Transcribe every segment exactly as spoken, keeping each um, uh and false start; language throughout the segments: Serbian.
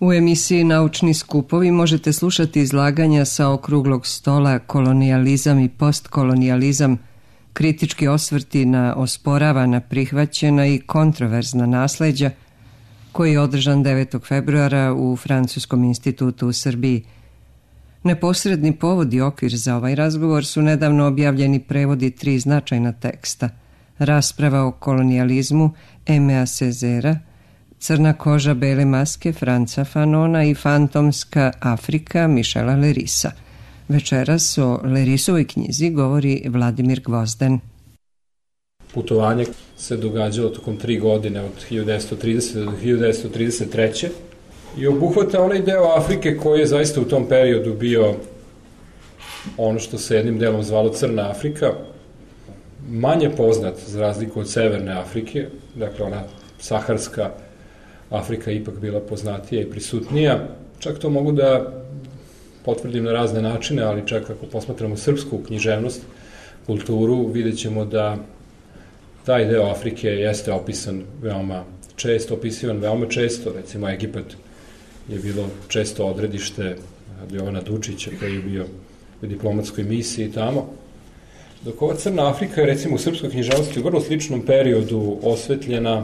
U emisiji Naučni skupovi možete slušati izlaganja sa okruglog stola Kolonijalizam i postkolonijalizam, kritički osvrti na osporavana, prihvaćena i kontroverzna nasleđa, koji je održan devetog februara u Francuskom institutu u Srbiji. Neposredni povod i okvir za ovaj razgovor su nedavno objavljeni prevodi tri značajna teksta: Rasprava o kolonijalizmu Aimea Césaire, Crna koža, bele maske Franca Fanona i Fantomska Afrika Michela Lerisa. Večeras o Lerisovoj knjizi govori Vladimir Gvozden. Putovanje se događalo tokom tri godine od hiljadu devetsto tridesete. do hiljadu devetsto trideset treće. i obuhvata onaj deo Afrike koji je zaista u tom periodu bio ono što se jednim delom zvalo Crna Afrika, manje poznat za razliku od Severne Afrike, dakle ona saharska Afrika ipak bila poznatija i prisutnija. Čak to mogu da potvrdim na razne načine, ali čak ako posmatramo srpsku književnost, kulturu, vidjet ćemo da taj deo Afrike jeste opisan veoma često, opisivan veoma često. Recimo Egipat je bilo često odredište Jovana Dučića koji je bio u diplomatskoj misiji tamo. Dok ova Crna Afrika je recimo u srpskoj književnosti u vrlo sličnom periodu osvetljena,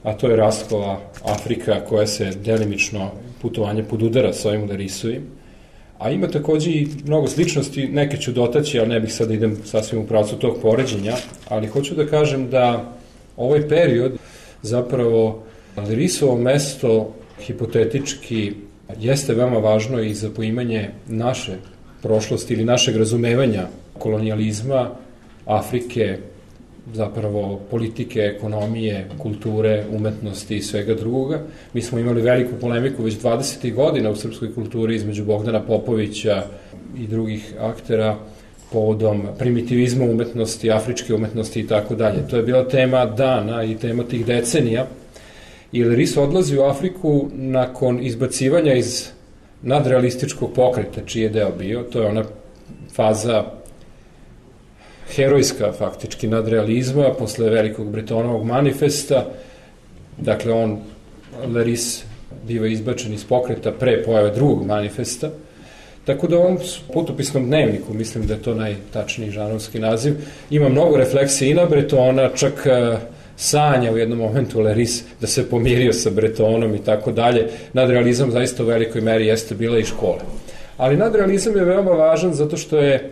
a to je Rastkova Afrika koja se delimično putovanje podudara sa ovim Lerisovim, a ima takođe i mnogo sličnosti, neke ću dotaći, ali ne bih sad idem sasvim u pravcu tog poređenja, ali hoću da kažem da ovaj period zapravo Lerisovo mesto hipotetički jeste veoma važno i za poimanje naše prošlosti ili našeg razumevanja kolonijalizma, Afrike, zapravo politike, ekonomije, kulture, umetnosti i svega drugoga. Mi smo imali veliku polemiku već dvadesetih godina u srpskoj kulturi između Bogdana Popovića i drugih aktera povodom primitivizma umetnosti, afričke umetnosti i tako dalje. To je bila tema dana i tema tih decenija. I Leris odlazi u Afriku nakon izbacivanja iz nadrealističkog pokreta, čiji je deo bio. To je ona faza herojska, faktički, nadrealizma, posle velikog Bretonovog manifesta. Dakle, on, Leris, biva izbačen iz pokreta pre pojave drugog manifesta. Tako da u ovom putopisnom dnevniku, mislim da je to najtačniji žanovski naziv, ima mnogo refleksije i na Bretona, čak sanja u jednom momentu Leris da se pomirio sa Bretonom i tako dalje. Nadrealizam zaista u velikoj meri jeste bila i škola. Ali nadrealizam je veoma važan zato što je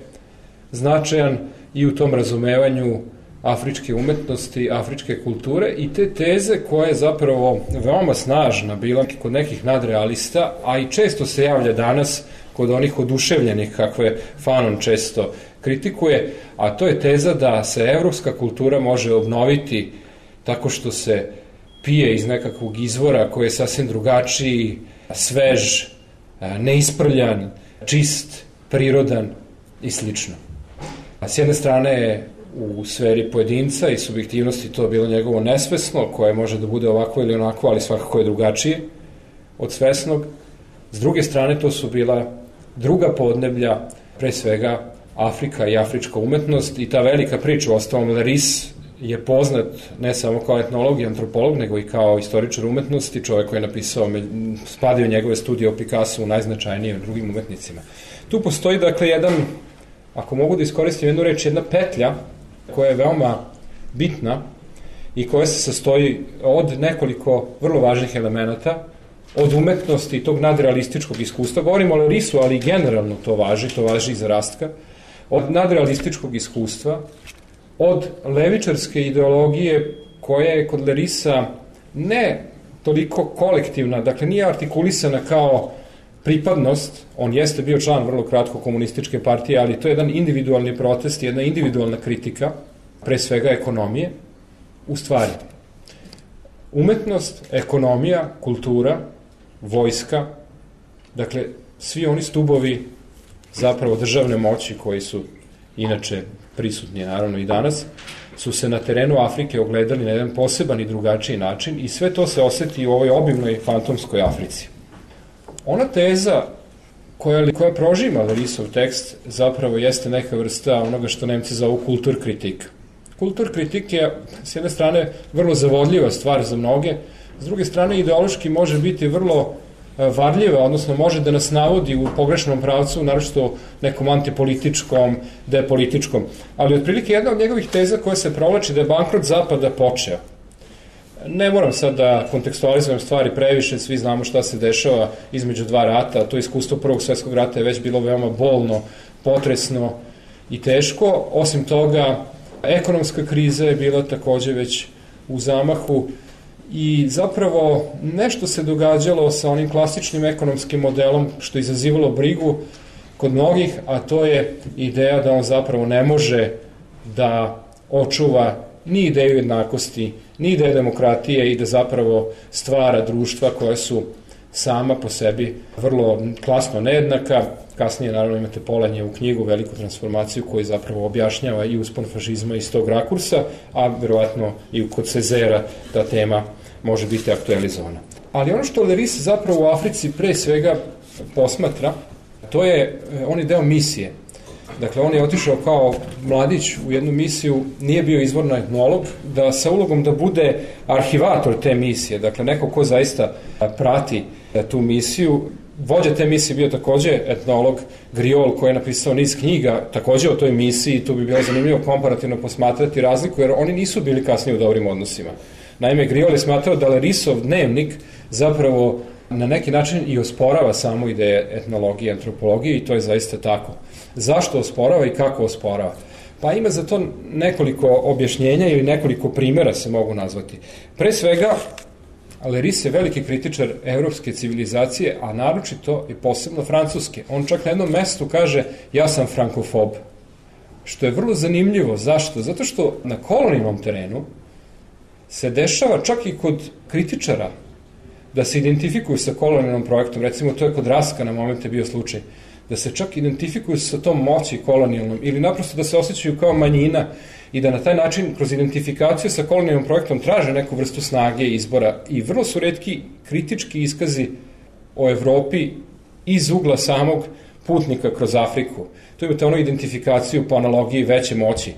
značajan i u tom razumevanju afričke umetnosti, afričke kulture i te teze koja je zapravo veoma snažna bila kod nekih nadrealista, a i često se javlja danas kod onih oduševljenih kakve Fanon često kritikuje, a to je teza da se evropska kultura može obnoviti tako što se pije iz nekakvog izvora koji je sasvim drugačiji, svež, neisprljan, čist, prirodan i slično. S jedne strane u sferi pojedinca i subjektivnosti to je bilo njegovo nesvesno, koje može da bude ovako ili onako, ali svakako je drugačije od svesnog. S druge strane to su bila druga podneblja, pre svega Afrika i afrička umetnost i ta velika priča. Uostalom, Leris je poznat ne samo kao etnolog i antropolog, nego i kao istoričar umetnosti, čovjek koji je napisao, spadaju njegove studije o Picassu u najznačajnijim drugim umetnicima. Tu postoji, dakle, jedan, ako mogu da iskoristim jednu reč, jedna petlja koja je veoma bitna i koja se sastoji od nekoliko vrlo važnih elemenata, od umetnosti i tog nadrealističkog iskustva. Govorimo o Lerisu, ali generalno to važi, to važi i za Rastka. Od nadrealističkog iskustva, od levičarske ideologije koja je kod Lerisa ne toliko kolektivna, dakle nije artikulisana kao pripadnost, on jeste bio član vrlo kratko komunističke partije, ali to je jedan individualni protest, jedna individualna kritika, pre svega ekonomije, u stvari umetnost, ekonomija, kultura, vojska, dakle svi oni stubovi zapravo državne moći koji su inače prisutni naravno i danas, su se na terenu Afrike ogledali na jedan poseban i drugačiji način i sve to se oseti u ovoj obimnoj fantomskoj Africi. Ona teza koja, koja prožima Lerisov tekst zapravo jeste neka vrsta onoga što Nemci zovu kulturkritik. Kulturkritik je s jedne strane vrlo zavodljiva stvar za mnoge, s druge strane ideološki može biti vrlo varljiva, odnosno može da nas navodi u pogrešnom pravcu, naročito nekom antipolitičkom, depolitičkom. Ali otprilike jedna od njegovih teza koja se provlači da je bankrot Zapada počeo. Ne moram sad da kontekstualizujem stvari previše, svi znamo šta se dešava između dva rata, to iskustvo Prvog svjetskog rata je već bilo veoma bolno, potresno i teško. Osim toga, ekonomska kriza je bila takođe već u zamahu i zapravo nešto se događalo sa onim klasičnim ekonomskim modelom što je izazivalo brigu kod mnogih, a to je ideja da on zapravo ne može da očuva ni ideju jednakosti, ni ideju demokratije i da zapravo stvara društva koja su sama po sebi vrlo klasno nejednaka. Kasnije naravno imate Polanyi u knjigu Veliku transformaciju koji zapravo objašnjava i uspon fašizma iz tog rakursa, a verovatno i kod Cezera ta tema može biti aktualizovana. Ali ono što Leris zapravo u Africi pre svega posmatra, to je, on je deo misije. Dakle, on je otišao kao mladić u jednu misiju, nije bio izvorno etnolog, da sa ulogom da bude arhivator te misije, dakle neko ko zaista prati tu misiju. Vođa te misije bio takođe etnolog Griol koji je napisao niz knjiga takođe o toj misiji, tu bi bilo zanimljivo komparativno posmatrati razliku jer oni nisu bili kasnije u dobrim odnosima. Naime, Griol je smatrao da Lerisov dnevnik zapravo na neki način i osporava samo ideje etnologije i antropologije i to je zaista tako. Zašto osporava i kako osporava? Pa ima za to nekoliko objašnjenja ili nekoliko primjera se mogu nazvati. Pre svega, Leris je veliki kritičar evropske civilizacije, a naročito i posebno francuske. On čak na jednom mestu kaže ja sam frankofob, što je vrlo zanimljivo. Zašto? Zato što na kolonijalnom terenu se dešava čak i kod kritičara da se identifikuju sa kolonijalnom projektom, recimo to je kod Raska na momente bio slučaj, da se čak identifikuju sa tom moći kolonijalnom ili naprosto da se osjećaju kao manjina i da na taj način kroz identifikaciju sa kolonijalnom projektom traže neku vrstu snage i izbora i vrlo su retki kritički iskazi o Evropi iz ugla samog putnika kroz Afriku. Tu imate ono identifikaciju po analogiji veće moći.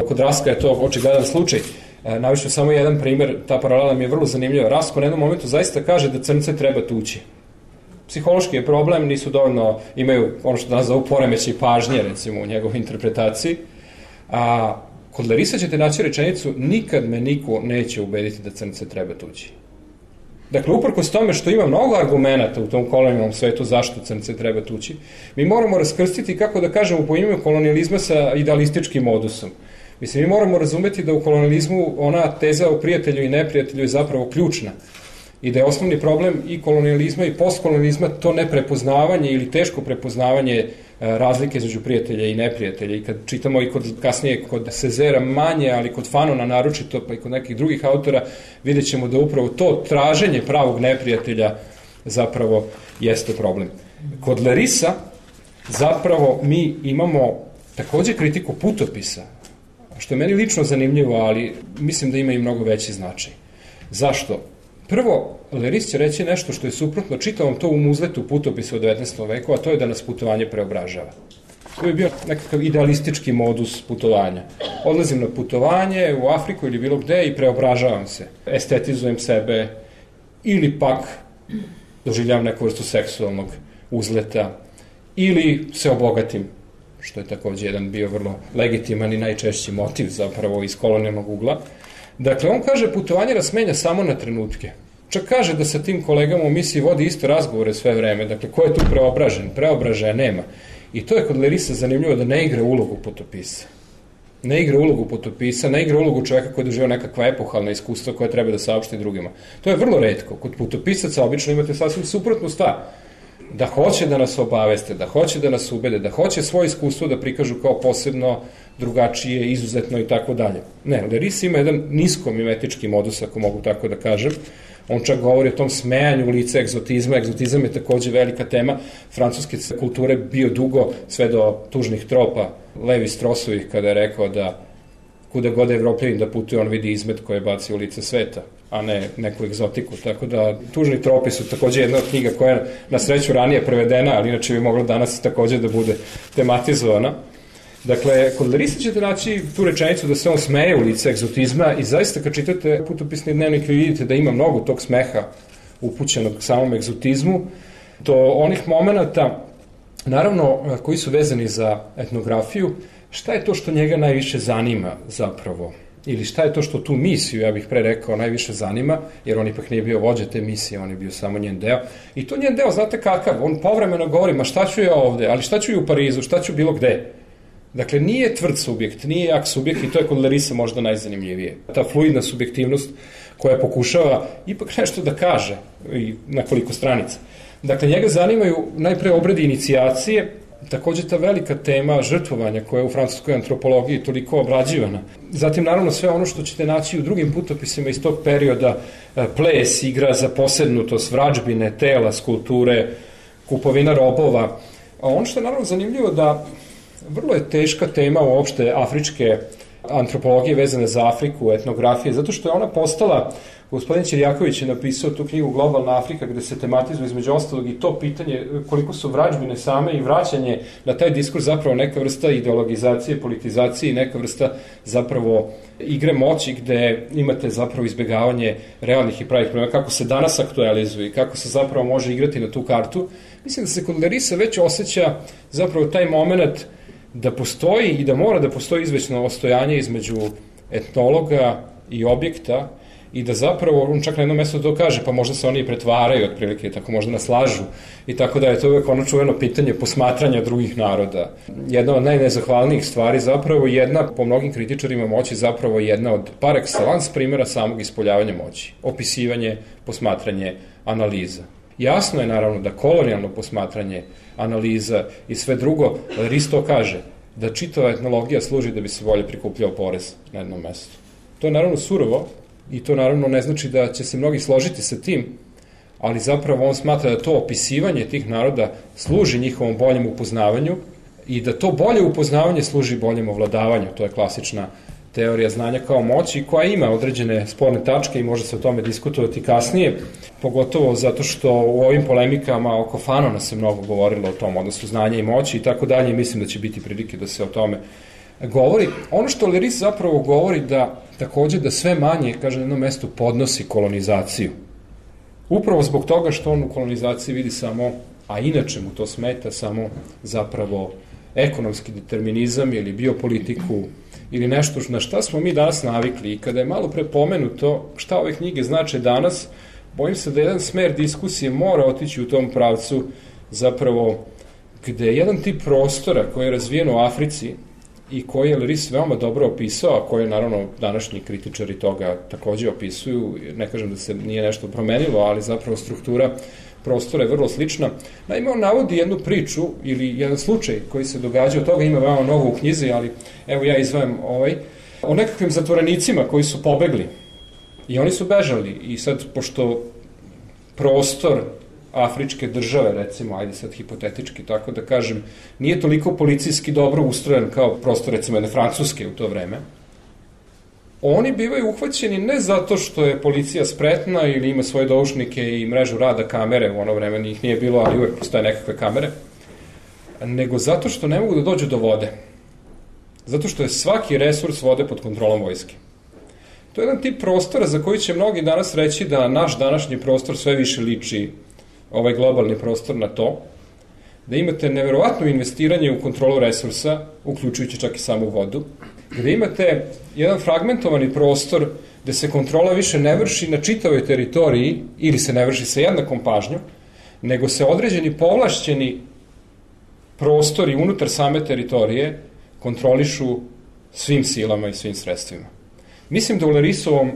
Kod Raska je to očigledan slučaj. Navišu samo jedan primjer, ta paralela mi je vrlo zanimljiva. Rasko na jednom momentu zaista kaže da crnce treba tući. Psihološki je problem, nisu dovoljno, imaju ono što danas zovu poremećaj pažnje, recimo u njegovoj interpretaciji. A kod Lerisa ćete naći rečenicu nikad me niko neće ubediti da crnce treba tući. Dakle, uprkos tome što ima mnogo argumenata u tom kolonijalnom svetu zašto crnce treba tući, mi moramo raskrstiti, kako da kažemo, po imenu kolonijalizma sa idealističkim modusom. Mislim, mi moramo razumeti da u kolonijalizmu ona teza o prijatelju i neprijatelju je zapravo ključna i da je osnovni problem i kolonijalizma i postkolonijalizma to neprepoznavanje ili teško prepoznavanje razlike između prijatelja i neprijatelja. I kad čitamo i kod, kasnije kod Cezera manje, ali kod Fanona naročito, pa i kod nekih drugih autora, vidjet ćemo da upravo to traženje pravog neprijatelja zapravo jeste problem. Kod Lerisa zapravo mi imamo takođe kritiku putopisa, što je meni lično zanimljivo, ali mislim da ima i mnogo veći značaj. Zašto? Prvo, Leris će reći nešto što je suprotno čitavom to u muzletu putopisa u devetnaestom veku, a to je da nas putovanje preobražava. To je bio nekakav idealistički modus putovanja. Odlazim na putovanje u Afriku ili bilo gde i preobražavam se. Estetizujem sebe ili pak doživljavam neku vrstu seksualnog uzleta ili se obogatim, što je takođe jedan bio vrlo legitiman i najčešći motiv zapravo iz kolonijalnog ugla. Dakle, on kaže putovanje nas menja samo na trenutke. Čak kaže da sa tim kolegama u misiji vodi isto razgovore sve vreme. Dakle, ko je tu preobražen? Preobražaja nema. I to je kod Lerisa zanimljivo da ne igra ulogu putopisa. Ne igra ulogu putopisa, ne igra ulogu čoveka koji je doživao nekakva epohalna iskustva koja treba da saopšti drugima. To je vrlo retko. Kod putopisaca obično imate sasvim suprotnu stvar. Da hoće da nas obaveste, da hoće da nas ubede, da hoće svoje iskustvo da prikažu kao posebno, drugačije, izuzetno i tako dalje. Ne, Leris ima jedan nisko-mimetički modus, ako mogu tako da kažem. On čak govori o tom smejanju u lice egzotizma. Egzotizam je takođe velika tema francuske kulture, bio dugo sve do tužnih tropa Levi Strosovih, kada je rekao da kuda god je Evropljavin da putuje, on vidi izmet koje baci u lice sveta, a ne neku egzotiku. Tako da tužni tropi su takođe jedna od knjiga koja je na sreću ranije prevedena, ali inače bi mogla danas takođe da bude tematizovana. Dakle, kod Lerisa ćete naći tu rečenicu da se on smeje u lice egzotizma i zaista kad čitate putopisni dnevnik vi vidite da ima mnogo tog smeha upućeno k samom egzotizmu, do onih momenata, naravno, koji su vezani za etnografiju, šta je to što njega najviše zanima zapravo? Ili šta je to što tu misiju, ja bih pre rekao, najviše zanima, jer on ipak nije bio vođa te misije, on je bio samo njen deo. I to njen deo, znate kakav, on povremeno govori, ma šta ću ja ovde, ali šta ću i u Parizu, šta ću bilo gde. Dakle, nije tvrd subjekt, nije jak subjekt i to je kod Larisa možda najzanimljivije. Ta fluidna subjektivnost koja pokušava ipak nešto da kaže i na koliko stranica. Dakle, njega zanimaju najpre obredi inicijacije, takođe ta velika tema žrtvovanja koja je u francuskoj antropologiji toliko obrađivana. Zatim, naravno, sve ono što ćete naći u drugim putopisima iz tog perioda, ples, igra za posednutost, vrađbine, tela, skulpture, kupovina robova. A ono što je naravno zanimljivo da vrlo je teška tema uopšte afričke antropologije vezane za Afriku, etnografije, zato što je ona postala, gospodin Ćirjaković je napisao tu knjigu Globalna Afrika, gde se tematizuje između ostalog i to pitanje koliko su vrađbine same i vraćanje na taj diskurs zapravo neka vrsta ideologizacije, politizacije i neka vrsta zapravo igre moći gde imate zapravo izbegavanje realnih i pravih problema, kako se danas aktualizuje i kako se zapravo može igrati na tu kartu. Mislim da se kod Larisa već osjeća zapravo taj moment da postoji i da mora da postoji izvećno ostojanje između etnologa i objekta i da zapravo, on čak na jednom mjestu to kaže, pa možda se oni i pretvaraju otprilike, tako možda nas lažu i tako da je to uvek ono čuveno pitanje posmatranja drugih naroda. Jedna od najnezahvalnijih stvari zapravo, jedna po mnogim kritičarima moći zapravo jedna od par excellence primjera samog ispoljavanja moći. Opisivanje, posmatranje, analiza. Jasno je naravno da kolonijalno posmatranje, analiza i sve drugo, Laris to kaže, da čitava etnologija služi da bi se bolje prikupljao porez na jednom mestu. To je naravno surovo i to naravno ne znači da će se mnogi složiti sa tim, ali zapravo on smatra da to opisivanje tih naroda služi njihovom boljem upoznavanju i da to bolje upoznavanje služi boljem ovladavanju. To je klasična teorija znanja kao moći koja ima određene sporne tačke i može se o tome diskutovati kasnije, pogotovo zato što u ovim polemikama oko Fanona se mnogo govorilo o tom odnosu znanja i moći i tako dalje, mislim da će biti prilike da se o tome govori. Ono što Laris zapravo govori da takođe da sve manje, kaže na jednom mestu, podnosi kolonizaciju. Upravo zbog toga što on u kolonizaciji vidi samo, a inače mu to smeta, samo zapravo ekonomski determinizam ili biopolitiku ili nešto na šta smo mi danas navikli. I kada je malo prepomenuto šta ove knjige znače danas, bojim se da jedan smer diskusije mora otići u tom pravcu zapravo gde je jedan tip prostora koji je razvijen u Africi i koji je Laris veoma dobro opisao, a koje naravno današnji kritičari toga takođe opisuju, ne kažem da se nije nešto promenilo, ali zapravo struktura prostora je vrlo slična. Naime, on navodi jednu priču ili jedan slučaj koji se događa, od toga ima veoma mnogo u knjizi, ali evo ja izdvajam ovaj, o nekakvim zatvorenicima koji su pobegli i oni su bežali i sad, pošto prostor afričke države, recimo, ajde sad hipotetički, tako da kažem, nije toliko policijski dobro ustrojen kao prostor, recimo, jedne Francuske u to vreme, oni bivaju uhvaćeni ne zato što je policija spretna ili ima svoje doušnike i mrežu rada kamere, u ono vreme njih nije bilo, ali uvek postoje nekakve kamere, nego zato što ne mogu da dođu do vode. Zato što je svaki resurs vode pod kontrolom vojske. To je jedan tip prostora za koji će mnogi danas reći da naš današnji prostor sve više liči ovaj globalni prostor na to, da imate neverovatno investiranje u kontrolu resursa, uključujući čak i samu vodu, gde imate jedan fragmentovani prostor gde se kontrola više ne vrši na čitavoj teritoriji ili se ne vrši sa jednakom pažnjom, nego se određeni povlašćeni prostori unutar same teritorije kontrolišu svim silama i svim sredstvima. Mislim da u Larisovom,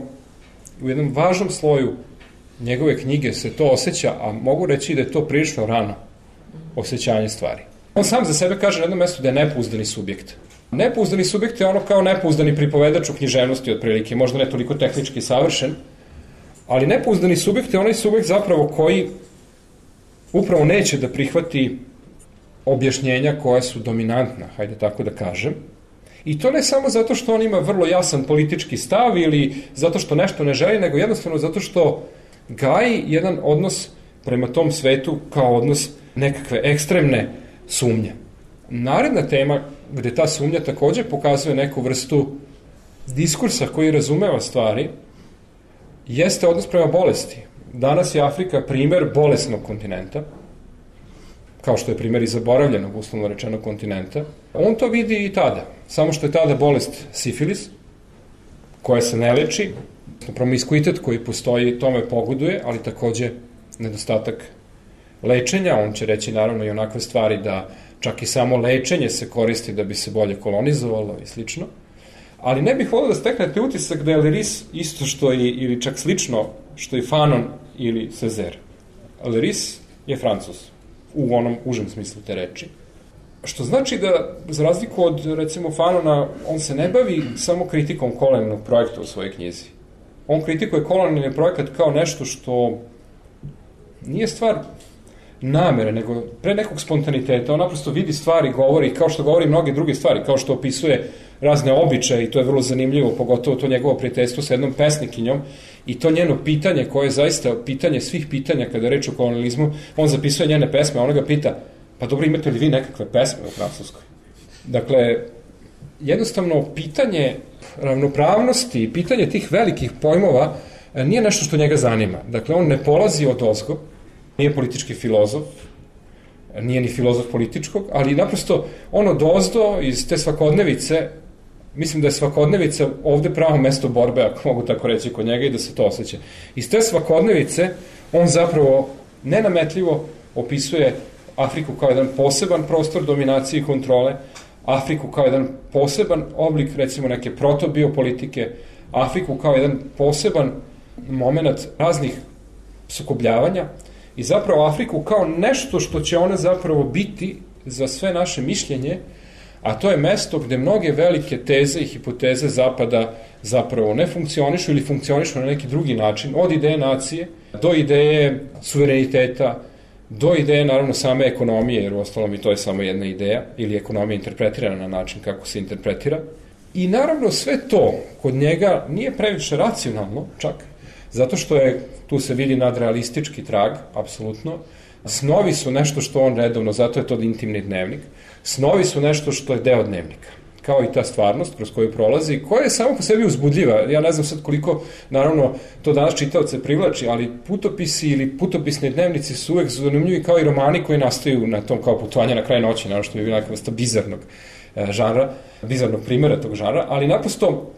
u jednom važnom sloju njegove knjige se to osjeća, a mogu reći da je to prilično rano osjećanje stvari. On sam za sebe kaže na jednom mestu da je nepouzdani subjekt. Nepouzdani subjekt je ono kao nepouzdani pripovedač u književnosti otprilike, možda ne toliko tehnički savršen, ali nepouzdani subjekt je onaj subjekt zapravo koji upravo neće da prihvati objašnjenja koja su dominantna, hajde tako da kažem. I to ne samo zato što on ima vrlo jasan politički stav ili zato što nešto ne želi, nego jednostavno zato što gaji jedan odnos prema tom svetu kao odnos nekakve ekstremne sumnje. Naredna tema gde ta sumnja takođe pokazuje neku vrstu diskursa koji razumeva stvari jeste odnos prema bolesti. danas je Afrika primer bolesnog kontinenta, kao što je primer i zaboravljenog, uslovno rečenog kontinenta. On to vidi i tada, samo što je tada bolest sifilis, koja se ne leči, promiskuitet koji postoji tome pogoduje, ali takođe nedostatak lečenja. On će reći naravno i onakve stvari da čak i samo lečenje se koristi da bi se bolje kolonizovalo i slično. Ali ne bih volio da steknete utisak da je Leris isto što i, ili čak slično što i Fanon ili Césaire. Leris je Francuz, u onom užem smislu te reči. Što znači da, za razliku od, recimo, Fanona, on se ne bavi samo kritikom kolonijalnog projekta u svojoj knjizi. On kritikuje kolonijalni projekat kao nešto što nije stvar namere, nego pre nekog spontaniteta. On naprosto vidi stvari, govori, kao što govori mnoge druge stvari, kao što opisuje razne običaje, i to je vrlo zanimljivo, pogotovo to njegovo prijateljstvo sa jednom pesnikinjom, i to njeno pitanje, koje je zaista pitanje svih pitanja kada je reč o kolonijalizmu. On zapisuje njene pesme, a ona ga pita: pa dobro, imate li vi nekakve pesme u Francuskoj? Dakle, jednostavno, pitanje ravnopravnosti, pitanje tih velikih pojmova nije nešto što njega zanima. Dakle, on ne polazi od ozgo, nije politički filozof, nije ni filozof političkog, ali naprosto on od ozdo iz te svakodnevice, mislim da je svakodnevica ovde pravo mesto borbe, ako mogu tako reći, kod njega, i da se to osjeća. Iz te svakodnevice on zapravo nenametljivo opisuje Afriku kao jedan poseban prostor dominacije i kontrole, Afriku kao jedan poseban oblik, recimo, neke protobiopolitike, Afriku kao jedan poseban moment raznih sukobljavanja, i zapravo Afriku kao nešto što će ona zapravo biti za sve naše mišljenje, a to je mesto gde mnoge velike teze i hipoteze Zapada zapravo ne funkcionišu ili funkcionišu na neki drugi način, od ideje nacije do ideje suvereniteta, do ideje, naravno, same ekonomije, jer u ostalom i to je samo jedna ideja, ili ekonomija interpretirana na način kako se interpretira. I naravno sve to kod njega nije previše racionalno, čak, zato što je, tu se vidi nadrealistički trag, apsolutno. Snovi su nešto što on redovno, zato je to intimni dnevnik, snovi su nešto što je deo dnevnika, kao i ta stvarnost kroz koju prolazi, koja je samo po sebi uzbudljiva. Ja ne znam sad koliko, naravno, to danas čitaoce privlači, ali putopisi ili putopisni dnevnici su uvek zanimljivi kao i romani koji nastaju na tom kao putovanje na kraj noći, naravno što je bila neka vrsta bizarnog žanra, bizarnog primjera tog žanra, ali naprosto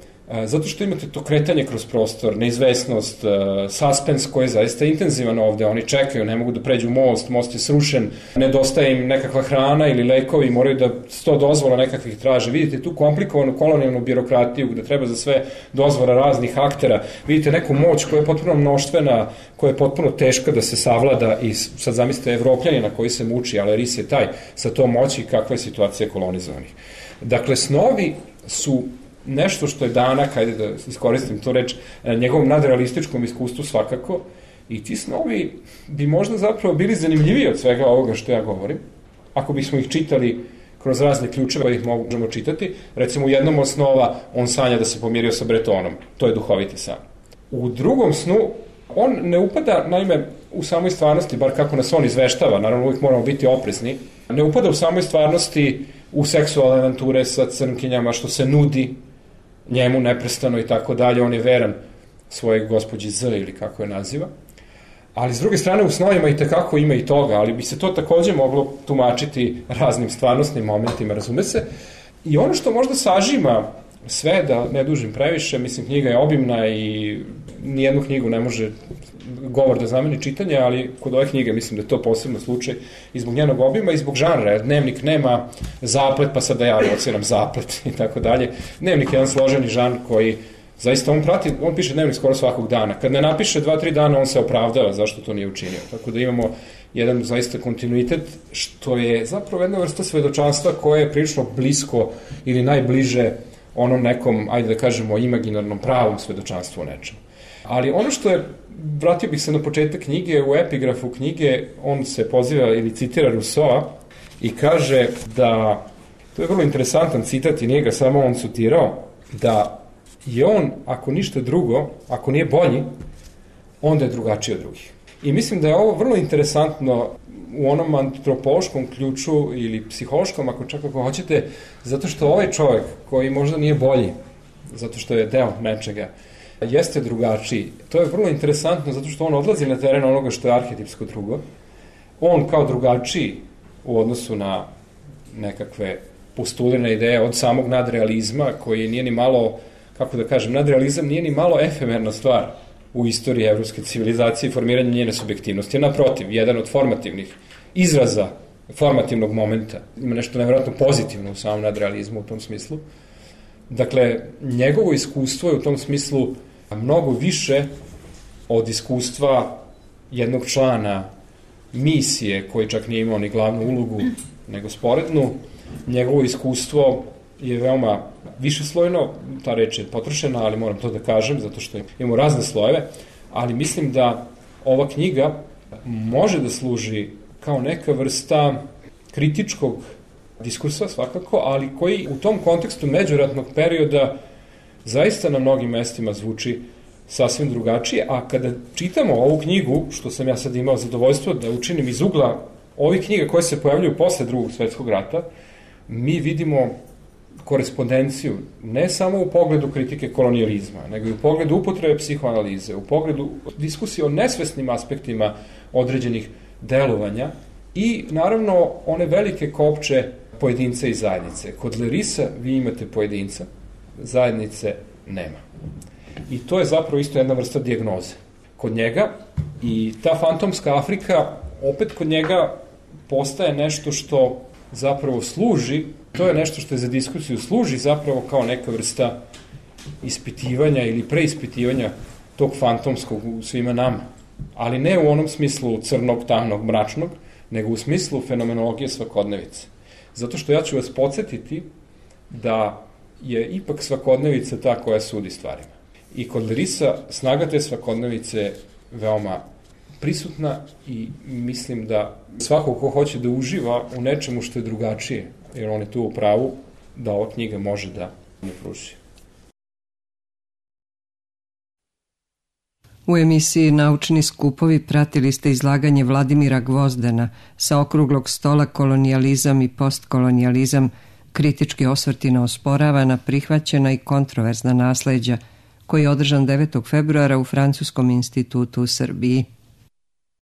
zato što imate to kretanje kroz prostor, neizvesnost, suspens koji je zaista intenzivan ovde, oni čekaju, ne mogu da pređu most, most je srušen, nedostaje im nekakva hrana ili lekovi, moraju da sto dozvola nekakvih traže. Vidite tu komplikovanu kolonijalnu birokratiju gde treba za sve dozvola raznih aktera, vidite neku moć koja je potpuno mnoštvena, koja je potpuno teška da se savlada, i sad zamislite Evropljanina koji se muči, ali Leris je taj sa tom moći, kakva je situacija kolonizovanih. Dakle, snovi su nešto što je danak, hajde da iskoristim to reč, njegovom nadrealističkom iskustvu svakako, i ti snovi bi možda zapravo bili zanimljiviji od svega ovoga što ja govorim, ako bismo ih čitali kroz razne ključeve, ih možemo čitati. Recimo, u jednom od snova on sanja da se pomirio sa Bretonom, to je duhoviti san. U drugom snu on ne upada, naime, u samoj stvarnosti, bar kako nas on izveštava, naravno uvijek moramo biti oprezni, ne upada u samoj stvarnosti u seksualne avanture sa crnkinjama, što se nudi njemu neprestano i tako dalje. On je veran svojeg gospođi Z, ili kako je naziva. Ali s druge strane u snovima i tekako ima i toga, ali bi se to takođe moglo tumačiti raznim stvarnostnim momentima, razume se. I ono što možda sažima sve, da ne dužim previše, mislim, knjiga je obimna i nijednu knjigu ne može govor da zameni čitanje, ali kod ove knjige mislim da je to posebno slučaj i zbog njenog obima i zbog žanra, jer dnevnik nema zaplet, pa sad da ja ociram zaplet i tako dalje. Dnevnik je jedan složeni žanr koji zaista on prati, on piše dnevnik skoro svakog dana. Kad ne napiše dva, tri dana, on se opravdava zašto to nije učinio. Tako da imamo jedan zaista kontinuitet, što je zapravo jedna vrsta svedočanstva koje je prilično blisko ili najbliže onom nekom, ajde da kažemo, imaginarnom pravom svedočanstvu o nečemu. Ali ono što je, vratio bih se na početak knjige, u epigrafu knjige on se poziva ili citira Rousseau i kaže da, to je vrlo interesantan citat i nije ga samo on citirao, da je on, ako ništa drugo, ako nije bolji, onda je drugačiji od drugih. I mislim da je ovo vrlo interesantno u onom antropološkom ključu ili psihološkom, ako čak ako hoćete, zato što ovaj čovjek koji možda nije bolji, zato što je deo nečega, jeste drugačiji. To je vrlo interesantno zato što on odlazi na teren onoga što je arhetipsko drugo. On kao drugačiji u odnosu na nekakve postulirane ideje od samog nadrealizma, koji nije ni malo, kako da kažem, nadrealizam nije ni malo efemerna stvar u istoriji evropske civilizacije i formiranja njene subjektivnosti. Naprotiv, jedan od formativnih izraza formativnog momenta. Ima nešto nevjerojatno pozitivno u samom nadrealizmu u tom smislu. Dakle, njegovo iskustvo je u tom smislu mnogo više od iskustva jednog člana misije, koji čak nije imao ni glavnu ulogu, nego sporednu. Njegovo iskustvo je veoma višeslojno, ta reč je potrošena, ali moram to da kažem, zato što imamo razne slojeve, ali mislim da ova knjiga može da služi kao neka vrsta kritičkog diskursa svakako, ali koji u tom kontekstu međuratnog perioda zaista na mnogim mestima zvuči sasvim drugačije, a kada čitamo ovu knjigu, što sam ja sad imao zadovoljstvo da učinim iz ugla ovih knjiga koje se pojavljuju posle drugog svetskog rata, mi vidimo korespondenciju ne samo u pogledu kritike kolonijalizma, nego i u pogledu upotrebe psihoanalize, u pogledu diskusije o nesvesnim aspektima određenih delovanja i naravno one velike kopče pojedinca i zajednice. Kod Lerisa vi imate pojedinca, zajednice nema. I to je zapravo isto jedna vrsta dijagnoze kod njega i ta fantomska Afrika opet kod njega postaje nešto što zapravo služi, to je nešto što je za diskusiju služi zapravo kao neka vrsta ispitivanja ili preispitivanja tog fantomskog u svima nama. Ali ne u onom smislu crnog, tamnog, mračnog, nego u smislu fenomenologije svakodnevice. Zato što ja ću vas podsjetiti da je ipak svakodnevica ta koja sudi stvarima. I kod Lerisa snaga te svakodnevice veoma prisutna i mislim da svako ko hoće da uživa u nečemu što je drugačije, jer on je tu u pravu, da ova knjiga može da mu pruži. U emisiji Naučni skupovi pratili ste izlaganje Vladimira Gvozdena sa okruglog stola Kolonijalizam i postkolonijalizam, kritički osvrti na osporavana, prihvaćena i kontroverzna nasleđa, koji je održan devetog februara u Francuskom institutu u Srbiji.